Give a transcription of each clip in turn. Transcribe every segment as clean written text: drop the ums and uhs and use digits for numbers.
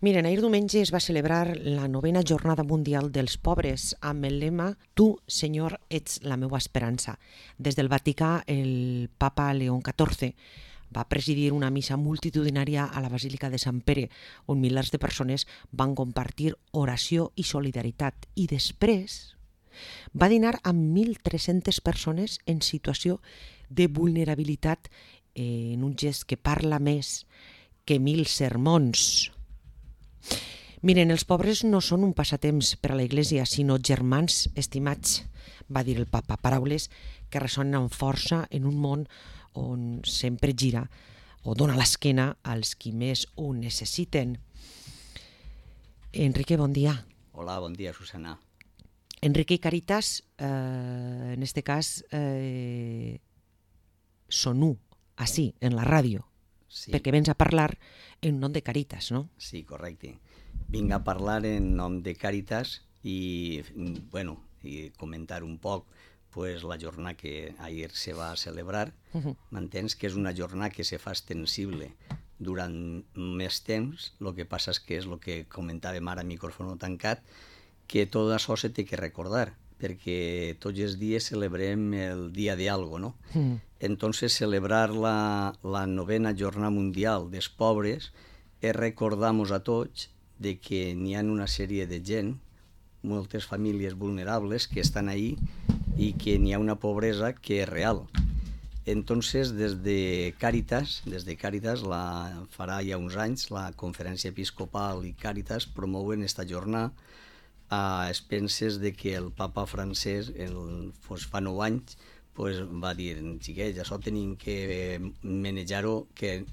Miren, ahir diumenge es va celebrar la 9a Jornada Mundial dels Pobres amb el lema «Tu, Senyor, ets la meua esperança». Des del Vaticà, el papa León XIV va presidir una missa multitudinària a la Basílica de Sant Pere, on milers de persones van compartir oració i solidaritat. I després va dinar amb 1.300 persones en situació de vulnerabilitat, en un gest que parla més que 1.000 sermons. Miren, els pobres no són un passatemps per a la Iglésia, sinó germans estimats, va dir el papa, paraules que ressonen amb força en un món on sempre gira o dona l'esquena als qui més ho necessiten. Enrique, bon dia. Hola, bon dia, Susana. Enrique y Caritas, en este cas, són u, així, en la ràdio, Sí, perquè vens a parlar en nom de Caritas, no? sí, correcte. Vinc a parlar en nom de Càritas i, i comentar un poc pues, la jornada que ahir se va celebrar. M'entens que és una jornada que se fa extensible durant més temps. El que passa és el que comentàvem ara a micròfon tancat, que tot això se té que recordar, perquè tots els dies celebrem el dia de algo, no? Entonces, celebrar la 9a Jornada Mundial dels Pobres és recordar-nos a tots de que n'hi ha una sèrie de gent, moltes famílies vulnerables que estan ahí i que n'hi ha una pobresa que és real. Entonces, des de Càritas, farà ja uns anys, la Conferència Episcopal i Càritas promouen esta jornada a expenses de que el papa francès, fa 9 anys, va dir, xiquets, això tenim que manejar-ho, que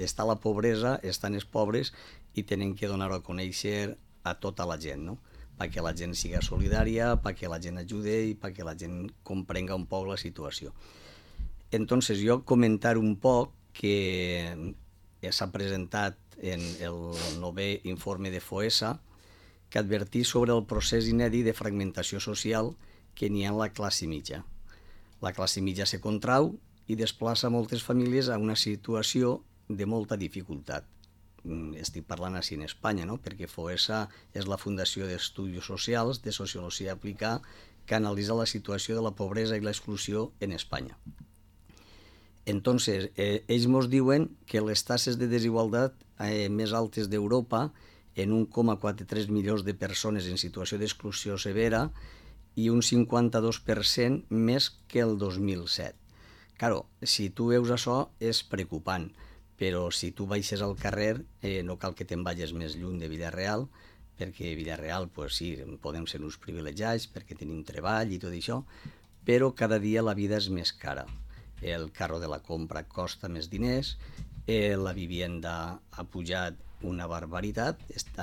està la pobresa, estan els pobres i tenen que donar-ho a conèixer a tota la gent, no? Perquè la gent siga solidària, perquè la gent ajude i perquè la gent comprenga un poc la situació. Entonces, jo comentar un poc que s'ha presentat en el 9è informe de FOESA, que advertís sobre el procés inèdit de fragmentació social que n'hi ha en la classe mitja. La classe mitja se contrau i desplaça moltes famílies a una situació de molta dificultat. Estic parlant així en Espanya, no? Perquè FOESA és la Fundació d'Estudis Socials de Sociologia Aplicada que analitza la situació de la pobresa i l'exclusió en Espanya. Entonces, ells ens diuen que les taxes de desigualtat més altes d'Europa, en 1,43 milions de persones en situació d'exclusió severa i un 52% més que el 2007. Claro, si tu veus això és preocupant, però si tu baixes al carrer no cal que te'n vagis més lluny de Vila-real, perquè a Vila-real, sí, podem ser uns privilegiats perquè tenim treball i tot això, però cada dia la vida és més cara. El carro de la compra costa més diners, la vivienda ha pujat una barbaritat.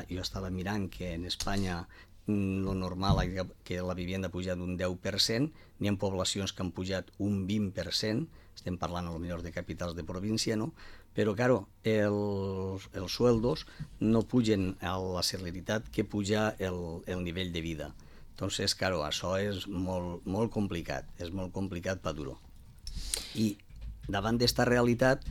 Jo estava mirant que en Espanya lo normal és que la vivienda ha pujat un 10%, n'hi ha poblacions que han pujat un 20%, estem parlant potser de capitals de província, no? Però, claro, els sueldos no pugen a la celeritat que puja el nivell de vida. Entonces, claro, això és molt complicat, és molt complicat per dur-ho. I davant d'esta realitat,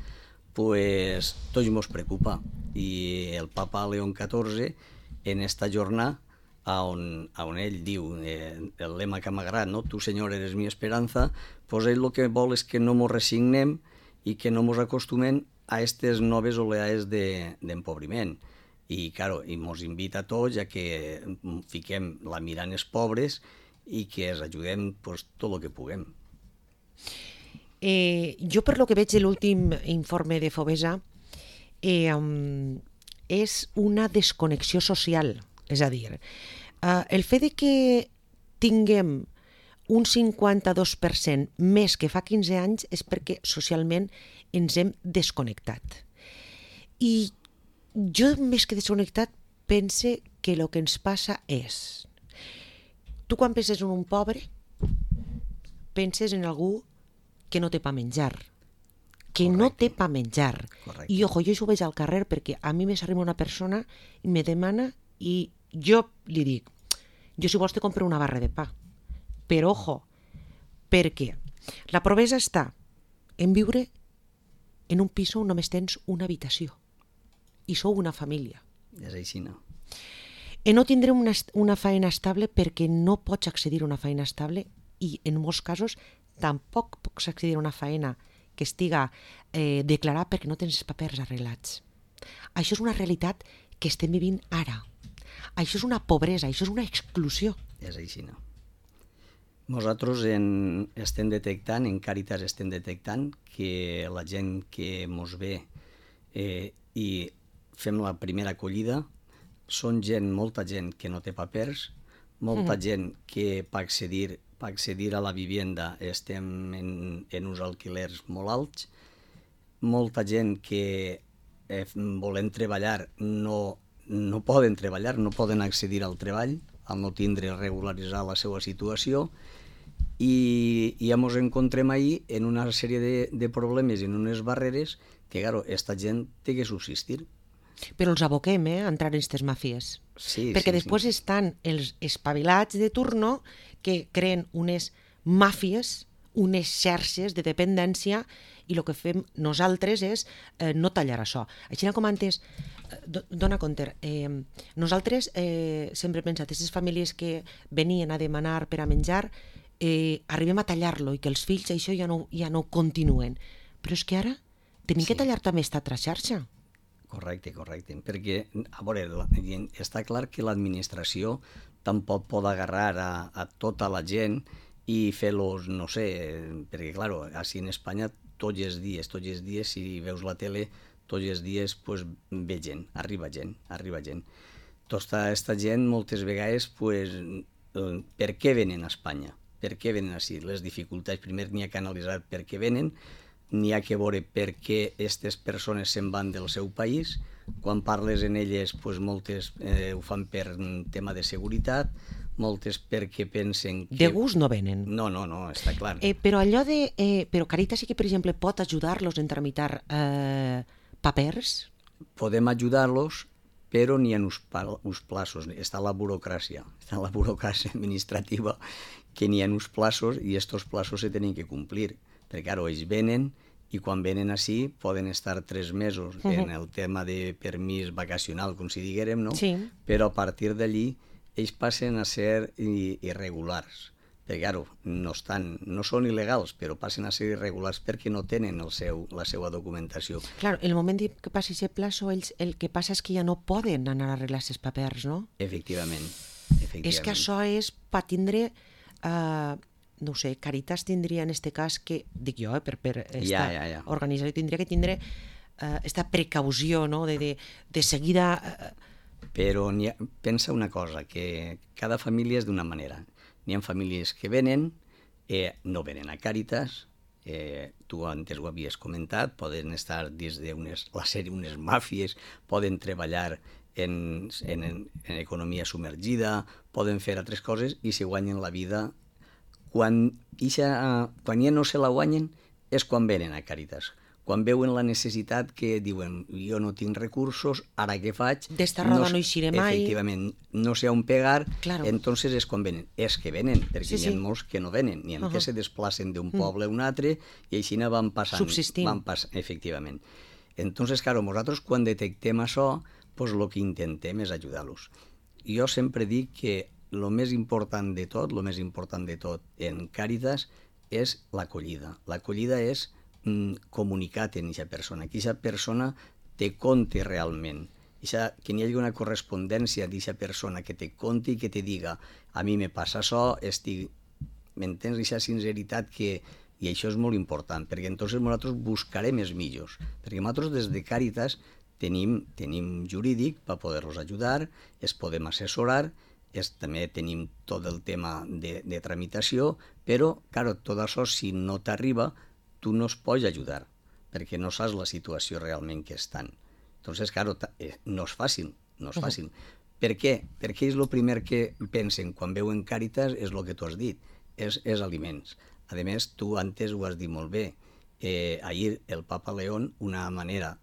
tots ens preocupa. I el papa León XIV, en esta jornada, on ell diu, el lema que m'agrada, no? Tu, Senyor, eres mi esperanza, ell el que vol és que no ens resignem i que no ens acostumem a aquestes noves oleades d'empobriment. I, claro, ens invita a tots a que fiquem la mirada en els pobres i que els ajudem tot el que puguem. Jo, per lo que veig de l'últim informe de FOBESA, és una desconnexió social. És a dir, el fet de que tinguem un 52% més que fa 15 anys és perquè socialment ens hem desconnectat. I jo, més que desconnectat, pense que el que ens passa és... Tu, quan penses en un pobre, penses en algú que no té pa menjar, que no té pa menjar. Correcte. I, ojo, jo això ho veig al carrer perquè a mi m'arriba una persona i me demana i jo li dic, jo si vols te compro una barra de pa. Però, ojo, perquè la pobresa està en viure en un pis on només tens una habitació i sou una família. És així, no? No tindrem una feina estable perquè no pots accedir a una feina estable i en molts casos tampoc pots accedir a una feina que estiga declarada perquè no tens els papers arreglats. Això és una realitat que estem vivint ara. Això és una pobresa, això és una exclusió. És així, no? Nosaltres estem detectant, en Càritas estem detectant que la gent que mos ve i fem la primera acollida són molta gent que no té papers, molta gent que per accedir a la vivenda estem en uns alquilers molt alts, molta gent que volen treballar no poden treballar, no poden accedir al treball, al no tindre regularitzar la seva situació, i ja ens encontrem ahir en una sèrie de problemes, en unes barreres que, claro, esta gent té que subsistir. Però els aboquem a entrar en aquestes màfies. Sí, perquè sí, després estan els espavilats de turno que creen unes màfies, unes xarxes de dependència, i el que fem nosaltres és no tallar això. Així com antes, dona compte, nosaltres sempre hem pensat, aquestes famílies que venien a demanar per a menjar, arribem a tallar-lo i que els fills això ja no ho continuen. Però és que ara tenim que tallar també aquesta altra xarxa. Correcte, perquè, a veure, està clar que l'administració tampoc pot agarrar a tota la gent i fer-los, no sé, perquè, clar, així en Espanya tots els dies, si veus la tele, tots els dies pues, ve gent, arriba gent. Tota aquesta gent moltes vegades, pues, per què venen a Espanya? Per què venen així? Les dificultats, primer n'hi ha que analitzar per què venen, n'hi ha que veure per què aquestes persones se'n van del seu país. Quan parles en elles, pues, moltes ho fan per tema de seguretat, moltes perquè pensen que... De gust no venen. No, està clar. Però allò de... Però Càritas sí que, per exemple, pot ajudar-los en tramitar papers? Podem ajudar-los, però n'hi ha uns plaços. Està la burocràcia administrativa, que n'hi ha uns plaços i aquests plaços se tenen que complir. Perquè, clar, ells venen i quan venen així poden estar 3 mesos en el tema de permís vacacional, com si diguérem, no? Sí. Però a partir d'allí ells passen a ser irregulars. Perquè, clar, no són il·legals, però passen a ser irregulars perquè no tenen la seva documentació. Clar, el moment que passi aquest plaço, ells el que passa és que ja no poden anar a arreglar aquests papers, no? Efectivament. És que això és per tindre... no ho sé, Càritas tindria en aquest cas que, dic jo, per esta organització tindria que tindre esta precaució, no?, de seguida... Però pensa una cosa, que cada família és d'una manera. N'hi ha famílies que venen, no venen a Càritas, tu antes ho havies comentat, poden estar dins d'unes màfies, poden treballar en economia submergida, poden fer altres coses i se guanyen la vida. Quan ja no se la guanyen és quan venen a Càritas. Quan veuen la necessitat que diuen jo no tinc recursos, ara què faig? D'esta roda no eixiré mai. Efectivament, no sé on pegar, claro. Entonces és quan venen. És que venen, perquè n'hi ha molts que no venen, n'hi ha que se desplacen d'un poble a un altre i així van passant. Subsistint. Efectivament. Entonces, claro, nosaltres quan detectem això, pues el que intentem és ajudar-los. Jo sempre dic que el més important de tot en Càritas és l'acollida. L'acollida és comunicat en aquesta persona, que aquesta persona te conti realment, que n'hi hagi una correspondència d'aquesta persona que te conti i que te diga a mi me passa això, m'entens? Aquesta sinceritat i això és molt important, perquè entonces nosaltres buscarem els millors, perquè nosaltres des de Càritas tenim jurídic per poder-los ajudar, es podem assessorar, també tenim tot el tema de tramitació, però, clar, tot això, si no t'arriba, tu no es pots ajudar, perquè no saps la situació realment que estan. Entonces, clar, no és fàcil. Per què? Perquè és el primer que pensen quan veuen Càritas, és el que tu has dit, és aliments. A més, tu antes ho has dit molt bé, ahir el Papa León, una manera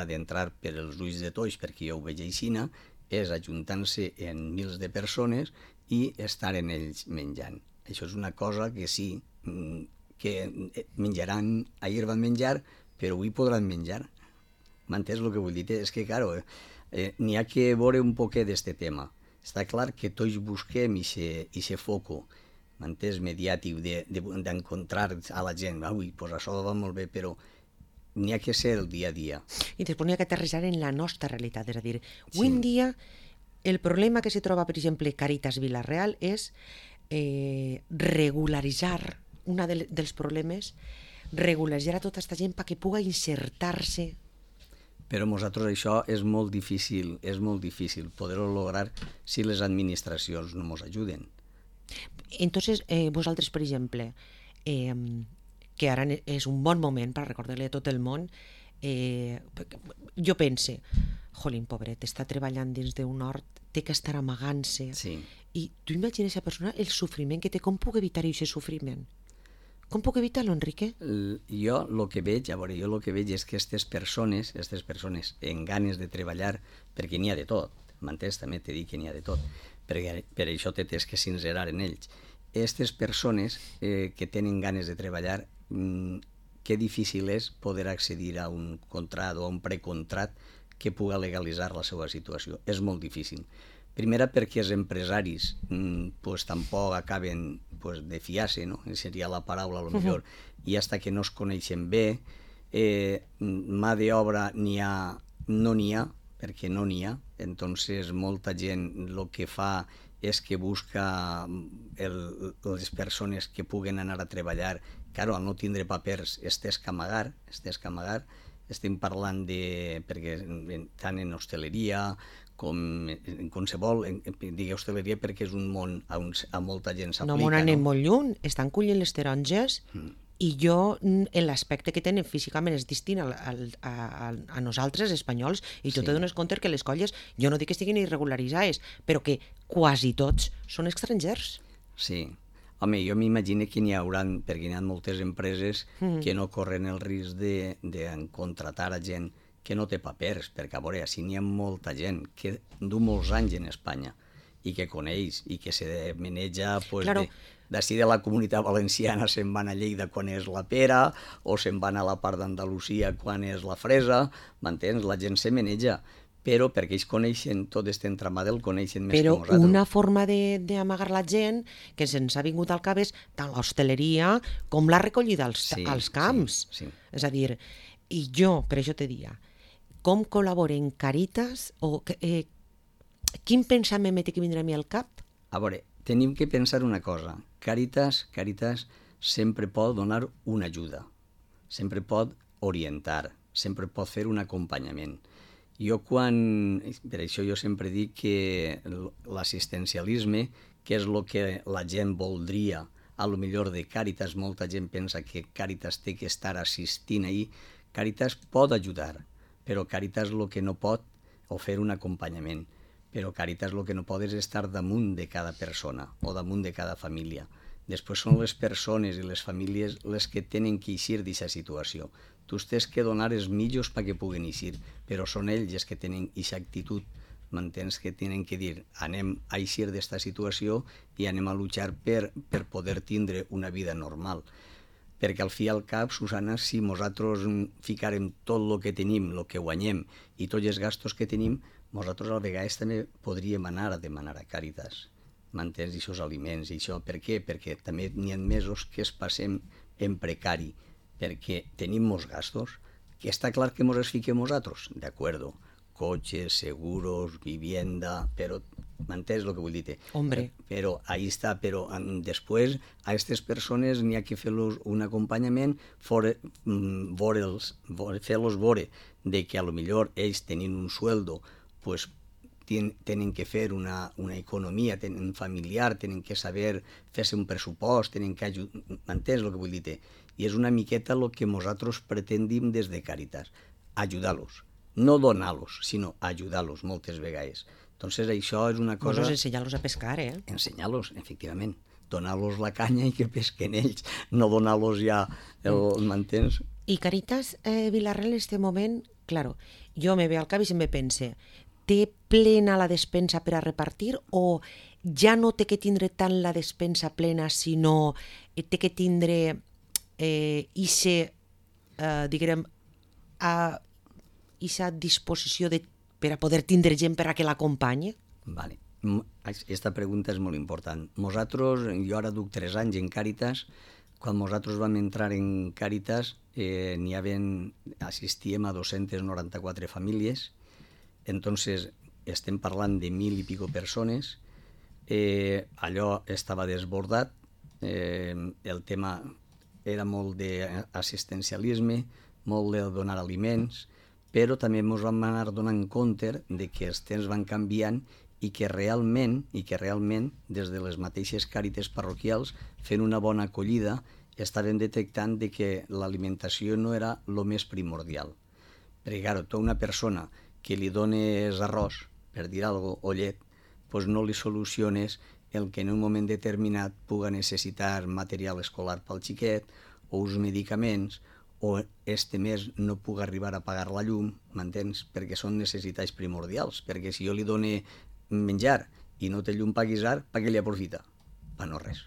d'entrar per els ulls de tots, perquè jo ho veig aixina, és ajuntant-se en mils de persones i estar en ells menjant. Això és una cosa que sí, que menjaran, ahir van menjar, però avui podran menjar. M'entens el que vull dir? És que, clar, N'hi ha que veure un poquet d'este tema. Està clar que tots busquem ixe foco, m'entens, mediàtic, d'encontrar a la gent. Ui, pues això va molt bé, però n'hi ha que ser el dia a dia. I després n'hi ha que aterrissar en la nostra realitat. És a dir, avui en dia el problema que se troba, per exemple, Càritas Vila-real és regularitzar, un dels problemes, regularitzar a tota aquesta gent perquè pugui insertar-se. Però nosaltres això és molt difícil poder-ho lograr si les administracions no ens ajuden. Entonces, vosaltres, per exemple, que ara és un bon moment per recordar-li a tot el món, jo pense, jolín, pobret, està treballant dins d'un hort, té que estar amagant-se. Sí. I tu imagines a persona el sofriment que té, com puc evitar aquest sofriment? Com puc evitar-lo, Enrique? Jo el que veig és que aquestes persones en ganes de treballar, perquè n'hi ha de tot, m'entens? També t'he dit que n'hi ha de tot, perquè per això t'has que sincerar en ells. Aquestes persones que tenen ganes de treballar, que difícil és poder accedir a un contrat o a un precontrat que pugui legalitzar la seva situació. És molt difícil. Primera perquè els empresaris tampoc acaben de fiar-se, no? Seria la paraula, a lo millor, i hasta que no es coneixen bé, mà d'obra no n'hi ha, perquè no n'hi ha, entonces molta gent el que fa és que busca les persones que puguen anar a treballar. Claro, al no tindre papers estàs que amagar, estem parlant perquè tant en hostaleria com en qualsevol, digui hostaleria perquè és un món a molta gent s'aplica. No, anem molt lluny, estan collint les taronges i jo, l'aspecte que tenen físicament és distint a nosaltres, espanyols, i tu te dones compte que les colles, jo no dic que estiguin irregularitzades, però que quasi tots són estrangers. Sí. Home, jo m'imagino que n'hi haurà, perquè n'hi ha moltes empreses que no corren el risc de contratar a gent que no té papers, perquè a veure, així n'hi ha molta gent que du molts anys en Espanya i que coneix i que se maneja d'ací de la Comunitat Valenciana se'n van a Lleida quan és la pera o se'n van a la part d'Andalusia quan és la fresa, m'entens? La gent se maneja, però perquè ells coneixen tot aquest entramat, el coneixen més que nosaltres. Però una forma d'amagar la gent que se'ns ha vingut al cap és tant l'hostaleria com la recollida als camps. Sí. És a dir, i jo, per això te dia, com col·laboren Càritas o quin pensament m'he que vindrà a mi al cap? A veure, tenim que pensar una cosa. Càritas sempre pot donar una ajuda, sempre pot orientar, sempre pot fer un acompanyament. Per això jo sempre dic que l'assistencialisme, que és el que la gent voldria, a lo millor de Càritas, molta gent pensa que Càritas té que estar assistint ahir. Càritas pot ajudar, però Càritas el que no pot, o fer un acompanyament, però Càritas el que no pot és estar damunt de cada persona o damunt de cada família. Després són les persones i les famílies les que tenen que eixir d'aquesta situació. Tu tens que donar els mitjos perquè puguen eixir, però són ells els que tenen aquesta actitud, m'entens, que tenen que dir anem a eixir d'esta situació i anem a luchar per poder tindre una vida normal. Perquè al fi i al cap, Susana, si nosaltres ficarem tot el que tenim, el que guanyem i tots els gastos que tenim, nosaltres a vegades també podríem anar a demanar a Càritas, m'entens, aquests aliments i això. Per què? Perquè també n'hi ha mesos que es passem en precari, perquè tenim molts gastos, que està clar que ens els fiquem nosaltres, d'acord, cotxes, seguros, vivienda, però m'entens el que vull dir? Hombre. Però ahí està, però després a aquestes persones n'hi ha que fer-los un acompanyament, fer-los veure de que a lo millor ells tenint un sueldo, pues tenen que fer una economia, tenen familiar, tenen que saber fer-se un pressupost, tenen que ajudar, m'entens el que vull dir? I és una miqueta el que nosaltres pretendim des de Càritas, ajudar-los, no donar-los, sinó ajudar-los moltes vegades. Entonces això és una cosa... Doncs ensenyar-los a pescar, Ensenyar-los, efectivament. Donar-los la canya i que pesquen ells, no donar-los ja el m'entens? I Càritas Vila-real en este moment, claro, jo me ve al cap i se'm pense, té plena la despensa per a repartir o ja no té que tindre tant la despensa plena, sinó té que tindre diguem, a aquesta disposició de per a poder tindre gent per a que l'acompanyi? Vale. Aquesta pregunta és molt important. Nosaltres, jo ara duc 3 anys en Càritas. Quan nosaltres vam entrar en Càritas assistíem a 294 famílies. Entonces estem parlant de 1.000 i pico persones. Allò estava desbordat. El tema era molt d'assistencialisme, molt de donar aliments, però també ens vam anar donant compte de que els temps van canviant i que realment, des de les mateixes càrites parroquials, fent una bona acollida, estaven detectant de que l'alimentació no era el més primordial. Perquè, clar, tu a una persona que li dones arròs, per dir alguna cosa, o llet, doncs no li soluciones el que en un moment determinat puga necessitar material escolar pel xiquet, o uns medicaments, o este mes no puc arribar a pagar la llum, m'entens? Perquè són necessitats primordials, perquè si jo li dono menjar i no té llum per guisar, per què li aprofita? Per no res.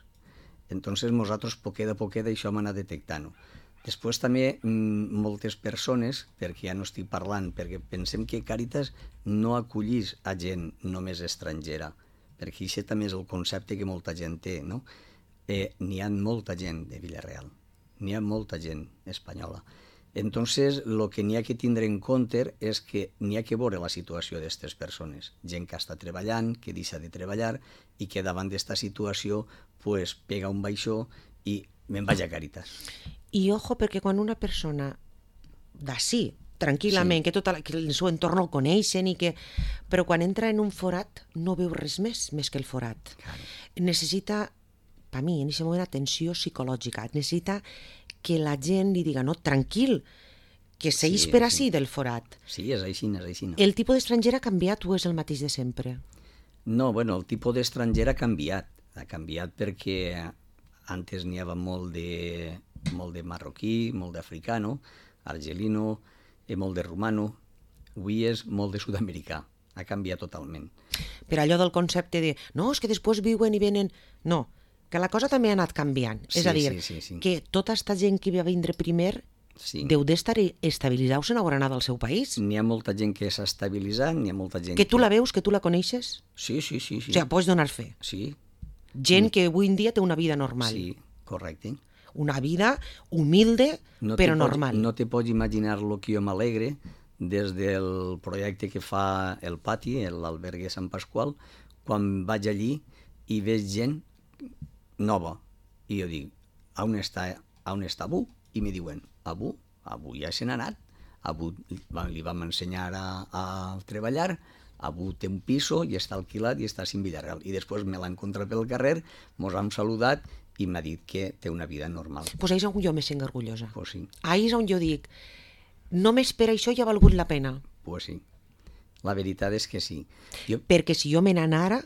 Entonces nosaltres poquet a poquet això hem anat detectant-ho. Després també moltes persones, perquè ja no estic parlant, perquè pensem que Càritas no acollís a gent només estrangera, perquè això també és el concepte que molta gent té, no? N'hi ha molta gent de Vila-real, n'hi ha molta gent espanyola. Entonces, el que n'hi ha que tindre en compte és que n'hi ha que veure la situació d'aquestes persones. Gent que està treballant, que deixa de treballar i que davant d'aquesta situació pues, pega un baixó i me'n vaig a Càritas. I ojo, perquè quan una persona d'ací, tranquil·lament, que tot el seu entorn el coneixen, però quan entra en un forat no veu res més que el forat. Claro. Necessita, per mi, en aquest moment, atenció psicològica. Necessita que la gent li diga, no, tranquil, que seguís per ací del forat. Sí, és així, és així. El tipus d'estranger ha canviat o és el mateix de sempre? No, bueno, el tipus d'estranger ha canviat. Ha canviat perquè antes n'hi havia molt de marroquí, molt d'africano, argelino, molt de romano. Avui és molt de sud-americà. Ha canviat totalment. Per allò del concepte de, no, és que després viuen i venen... No, que la cosa també ha anat canviant. Sí, és a dir, sí. que tota aquesta gent que va vindre primer deu d'estar estabilitzar-se en haurà anat al seu país. N'hi ha molta gent que s'ha estabilitzat, n'hi ha molta gent que... tu la veus, que tu la coneixes? Sí. O sigui, pots donar fe. Sí. Gent que avui en dia té una vida normal. Sí, correcte. Una vida humilde, però normal. No te pots imaginar el que jo m'alegre des del projecte que fa el Pati, l'albergue Sant Pasqual, quan vaig allí i veig gent nova. I jo dic, on està Abu? I me diuen, Abu ja se n'ha anat. Abu li vam ensenyar a treballar, Abu té un piso i està alquilat i està sin Villarreal. I després me l'ha encontrat pel carrer, mos hem saludat i m'ha dit que té una vida normal. Pues ahí és on jo me sent orgullosa. Pues sí. Ahí és on jo dic, només per això ja ha valgut la pena. Pues sí. La veritat és que sí. Perquè si jo me n'anara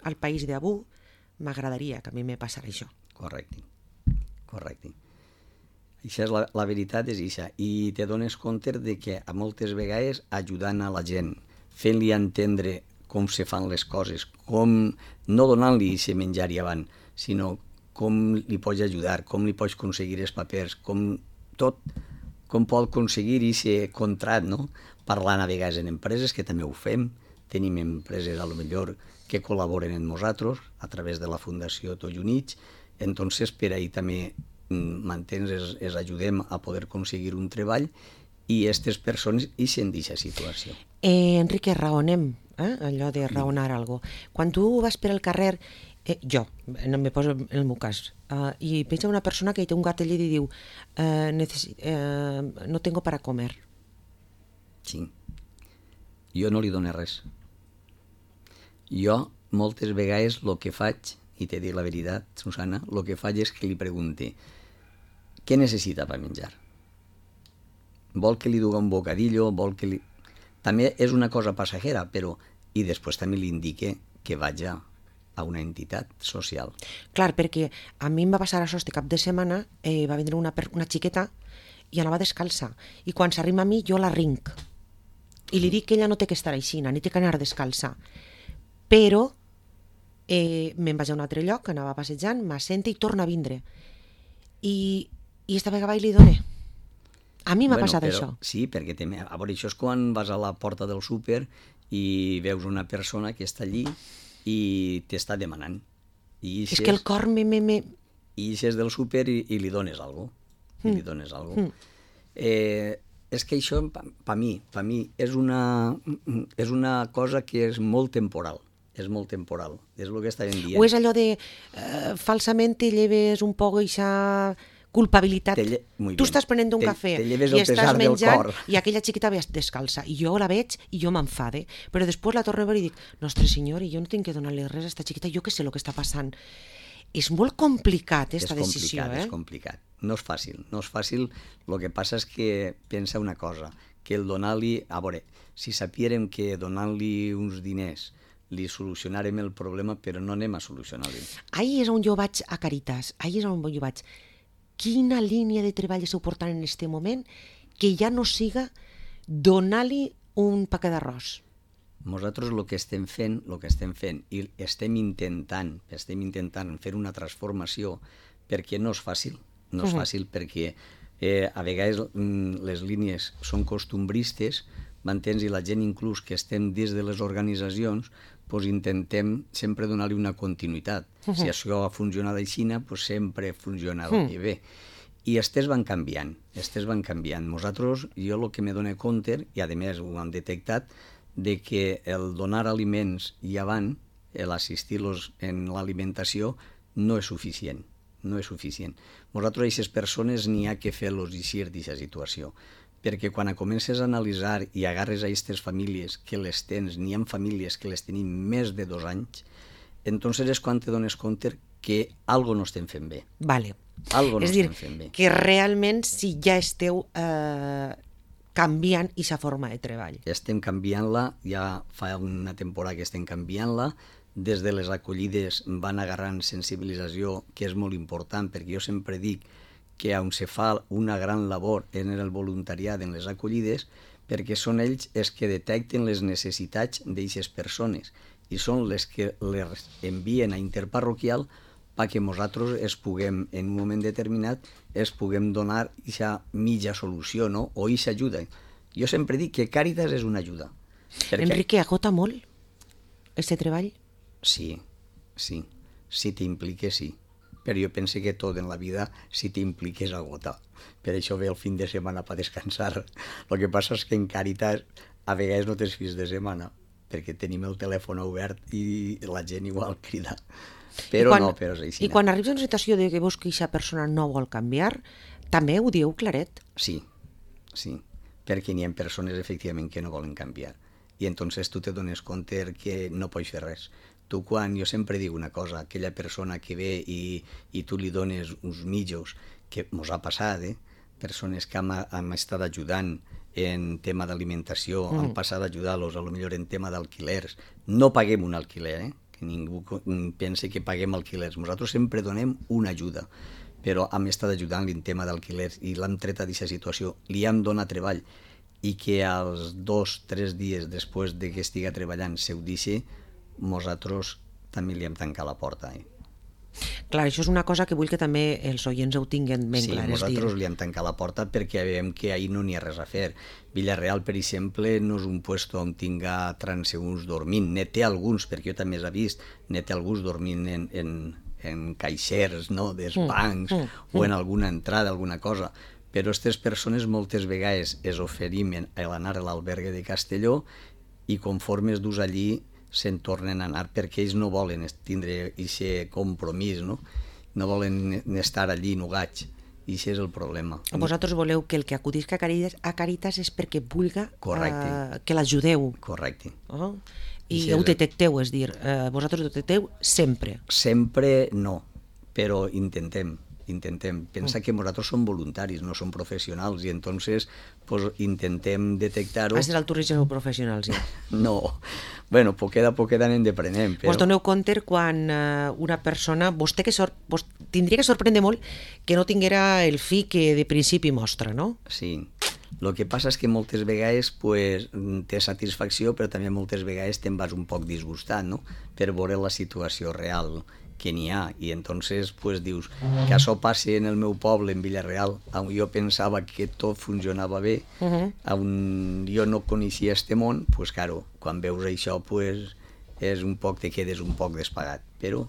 al país d'Abu, m'agradaria que a mi me passara això. Correcte. Això és la veritat és això. I te dones compte de que a moltes vegades ajudant a la gent, fent-li entendre com se fan les coses, com no donant-li aquest menjar i avant, sinó com li pots ajudar, com li pots aconseguir els papers, com pot aconseguir aquest contrat, no? Parlant a vegades en empreses, que també ho fem, tenim empreses a lo millor que col·laboren amb nosaltres a través de la Fundació Tots Units, entonces per ahí també m'entens, els ajudem a poder aconseguir un treball i aquestes persones ixen d'aquesta situació. Enrique, raonem, allò de raonar alguna cosa. Quan tu vas per el carrer, jo, no me poso en el meu cas, i veig una persona que té un gat allà i diu no tengo para comer. Sí. Jo no li dono res. Jo moltes vegades el que faig, i t'he dit la veritat, Susana, el que faig és que li pregunte què necessita per menjar. Vol que li dugui un bocadillo, vol que li... També és una cosa passajera, però... I després també li indique que vagi a una entitat social. Clar, perquè a mi em va passar això este cap de setmana, va vindre una xiqueta i anava descalça. I quan s'arriba a mi, jo la rinc. I li dic que ella no té que estar així, ni té que anar descalça. Però me'n vaig a un altre lloc, anava passejant, m'assenta i torna a vindre. I esta vegada li doné. A mi m'ha passat això. Sí, perquè a veure, això és quan vas a la porta del súper i veus una persona que està allí i t'està demanant. És que el cor me... I ixes del súper i li dones alguna cosa. I li dones alguna cosa. És que això, per mi, és una cosa que és molt temporal. És molt temporal. És el que estàvem dient. O és allò de falsament te lleves un poc aquesta culpabilitat. Tu estàs prenent un cafè i estàs menjant i aquella xiquita ve descalça i jo la veig i jo m'enfade, però després la torno a veure i dic, nostre senyor, i jo no tinc que donar-li res a aquesta xiquita, jo què sé el que està passant. És molt complicat, aquesta decisió. És complicat. No és fàcil. El que passa és que pensa una cosa, que el donar-li... A veure, si sapiérem que donant-li uns diners li solucionarem el problema, però no anem a solucionar-li. Ahí és on jo vaig a Caritas, Quina línia de treball esteu portant en aquest moment que ja no siga donar-li un paquet d'arròs? Nosaltres el que estem fent i estem intentant fer una transformació, perquè no és fàcil, perquè a vegades les línies són costumbristes, m'entens, i la gent inclús que estem dins de les organitzacions doncs intentem sempre donar-li una continuïtat. Si això ha funcionat així, doncs sempre funciona bé. I estes van canviant. Nosaltres, jo el que me dono compte, i a més ho hem detectat, de que el donar aliments i avant, l'assistir-los en l'alimentació, no és suficient. Nosaltres, aquestes persones, n'hi ha que fer-los eixir d'aquesta situació. Perquè quan comences a analitzar i agarres a aquestes famílies que les tens, n'hi ha famílies que les tenim més de 2 anys, entonces és quan te dones compte que algo no estem fent bé. Vale. És a dir, que realment si ja esteu canviant aquesta forma de treball. Estem canviant-la, ja fa una temporada que estem canviant-la, des de les acollides van agarrant sensibilització, que és molt important, perquè jo sempre dic que on se fa una gran labor en el voluntariat en les acollides, perquè són ells els que detecten les necessitats d'aquestes persones i són les que les envien a interparroquial perquè nosaltres puguem, en un moment determinat, puguem donar aquesta mitja solució, no? O aquesta ajuda. Jo sempre dic que Càritas és una ajuda. Enrique, agota molt aquest treball? Sí. Si t'impliques, sí. Però jo penso que tot en la vida, si t'impliques, agota. Per això ve el fin de setmana per descansar. El que passa és que en Càritas a vegades no tens fins de setmana, perquè tenim el telèfon obert i la gent igual crida. Però és així. I quan arribes a una situació de que veus que aquesta persona no vol canviar, també ho dieu claret? Sí, perquè n'hi ha persones efectivament que no volen canviar. I entonces tu te dones compte que no pots fer res. Tu jo sempre dic una cosa, aquella persona que ve i tu li dones uns mitjos, que mos ha passat, persones que hem estat ajudant en tema d'alimentació, hem passat a ajudar-los, potser en tema d'alquilers. No paguem un alquiler, que ningú pensi que paguem alquilers. Nosaltres sempre donem una ajuda, però hem estat ajudant-li en tema d'alquilers i l'hem tret d'aquesta situació, li hem donat treball i que als 2-3 dies després de que estiga treballant se ho deixi, nosaltres també li hem tancat la porta. Clar, això és una cosa que vull que també els oients ho tinguin ben clar. Sí, nosaltres li hem tancat la porta perquè veiem que ahir no n'hi ha res a fer. Villarreal, per exemple, no és un lloc on tinga transeünts dormint. Ne té alguns, perquè jo també he vist, ne té alguns dormint en caixers, dels bancs, o en alguna entrada, alguna cosa. Però aquestes persones moltes vegades es oferim a anar a l'albergue de Castelló i conforme es dus allí se'n tornen a anar perquè ells no volen tindre aquest compromís, no volen estar allí nugats, i aquest és el problema. Vosaltres voleu que el que acudisc a Càritas és perquè vulga que l'ajudeu. Correcte. I ho detecteu, és dir, vosaltres ho detecteu sempre. Sempre no, però intentem. Pensa que nosaltres som voluntaris, no som professionals, i entonces intentem detectar-ho. Has de l'altura sou professionals, ja. No, bueno, poquet a poquet anem deprenent. Vos doneu compte quan una persona, vos tindria que sorprendre molt que no tinguera el fi que de principi mostra, no? Sí, el que passa és que moltes vegades té satisfacció, però també moltes vegades te'n vas un poc disgustat, no?, per veure la situació real que n'hi ha, i entonces pues dius que això passi en el meu poble, en Villarreal, on jo pensava que tot funcionava bé, on jo no coneixia este món, pues claro, quan veus això pues és un poc, te quedes un poc despagat, però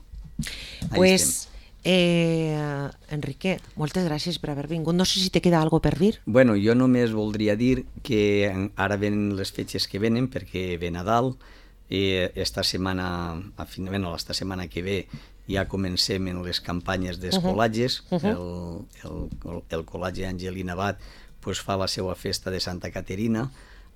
pues Enrique, moltes gràcies per haver vingut. No sé si te queda algo per dir. Bueno, jo només voldria dir que ara venen les fetges que venen, perquè ve Nadal, esta setmana que ve ja comencem en les campanyes d'escolatges. El col·legi Angelina Abad pues, fa la seva festa de Santa Caterina,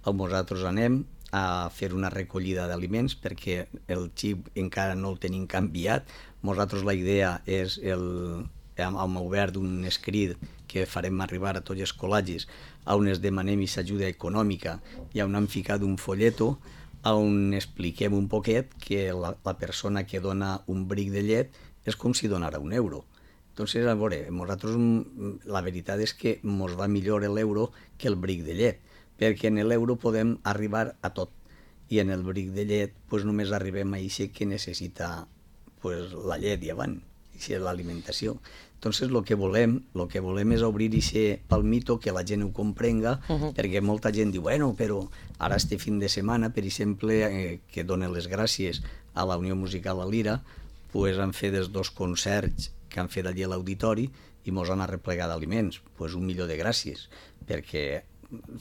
on nosaltres anem a fer una recollida d'aliments, perquè el xip encara no el tenim canviat. Nosaltres la idea és, hem obert un escrit que farem arribar a tots els col·legis, on es demanem aquesta ajuda econòmica i on hem ficat un folleto on expliquem un poquet que la persona que dona un bric de llet és com si donara €1. Entonces, a veure, nosaltres la veritat és que ens va millor l'euro que el bric de llet, perquè en l'euro podem arribar a tot, i en el bric de llet pues, només arribem a això que necessita pues, la llet i avant, i l'alimentació. Entonces, el que volem és obrir aquest palmito, que la gent ho comprenga, perquè molta gent diu, bueno, però ara este fin de setmana, per exemple, que donen les gràcies a la Unió Musical a Lira, pues, han fet els 2 concerts que han fet allí a l'auditori i mos han arreplegat d'aliments. Pues, un milió de gràcies, perquè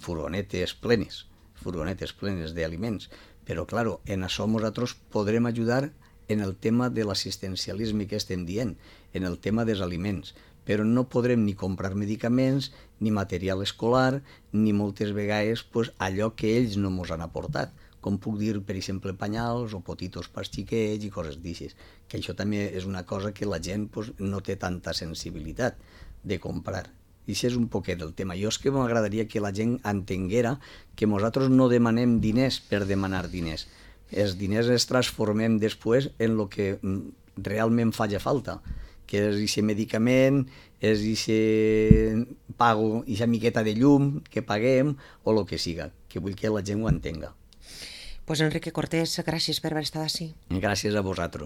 furgonetes plenes d'aliments. Però, clar, en això nosaltres podrem ajudar en el tema de l'assistencialisme que estem dient, en el tema dels aliments, però no podrem ni comprar medicaments, ni material escolar, ni moltes vegades pues, allò que ells no ens han aportat, com puc dir, per exemple, panyals o potitos per xiquets i coses d'aixes, que això també és una cosa que la gent pues, no té tanta sensibilitat de comprar. I això és un poquet el tema. Jo és que m'agradaria que la gent entenguera que nosaltres no demanem diners per demanar diners. Els diners els transformem després en el que realment faci falta, que és aquest medicament, és aquest pago, aquesta miqueta de llum que paguem o el que siga, que vull que la gent ho entenga. Pues Enrique Cortés, gràcies per haver estat així. Gràcies a vosaltres.